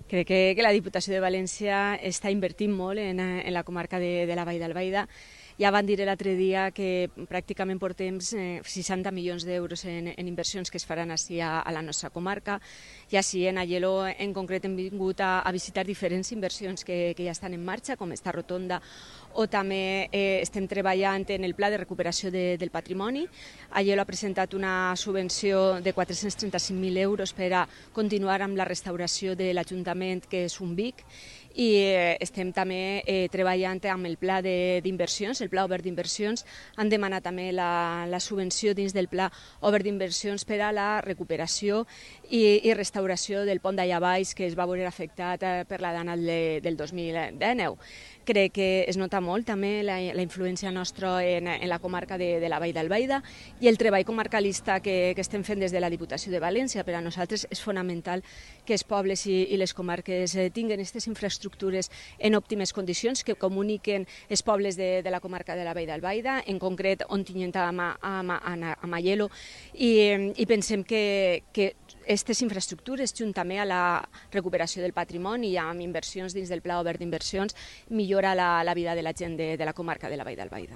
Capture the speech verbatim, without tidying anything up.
Crec que, que la Diputació de València està invertint molt en, en la comarca de, de la Vall d'Albaida. Ja van dir l'altre dia que pràcticament portem eh, seixanta milions d'euros en, en inversions que es faran així a, a la nostra comarca. I així en Aielo en concret hem vingut a, a visitar diferents inversions que, que ja estan en marxa, com esta rotonda, o també eh, estem treballant en el pla de recuperació de, del patrimoni. Aielo ha presentat una subvenció de quatre-cents trenta-cinc mil euros per a continuar amb la restauració de l'Ajuntament, que és un Vic, i eh, estem també eh, treballant amb el pla d'inversions, el pla obert d'inversions. Han demanat també la, la subvenció dins del pla obert d'inversions per a la recuperació i, i restauració del pont d'allà baix, que es va veure afectat eh, per la danal de, del dos mil dinou. Crec que es nota molt també la, la influència nostra en, en la comarca de, de la Vall d'Albaida i el treball comarcalista que, que estem fent des de la Diputació de València. Per a nosaltres és fonamental que els pobles i, i les comarques eh, tinguin aquestes infraestructures en òptimes condicions, que comuniquen els pobles de, de la comarca de la Vall d'Albaida, en concret Ontinyent amb, amb, amb, amb Aielo, i, i pensem que, que aquestes infraestructures, junt també a la recuperació del patrimoni i amb inversions dins del pla obert d'inversions, millora la, la vida de la gent de, de la comarca de la Vall d'Albaida.